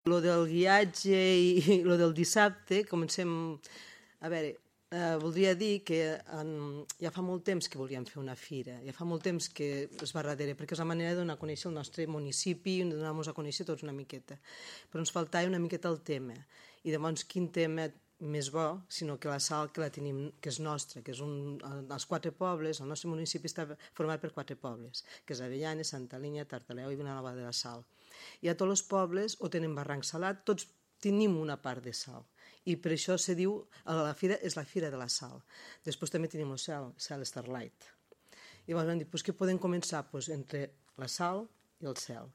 Lo del guiatge i lo del dissabte, comencem... A veure, voldria dir que ja fa molt temps que volíem fer una fira, ja fa molt temps que es va darrere, perquè és la manera de donar a conèixer el nostre municipi, de donar-nos a conèixer tots una miqueta. Però ens faltava una miqueta el tema. I llavors, quin tema més bo, sinó que la sal que la tenim, que és nostra, que és els 4 pobles, el nostre municipi està format per 4 pobles, que és Avellanes, Santa Linya, Tartaleu i Vilanova de la Sal. I a tots els pobles o tenen barranc salat, tots tenim una part de sal. I per això se diu, la fira és la fira de la sal. Després també tenim el cel Starlight. I llavors vam dir, què podem començar? Entre la sal i el cel.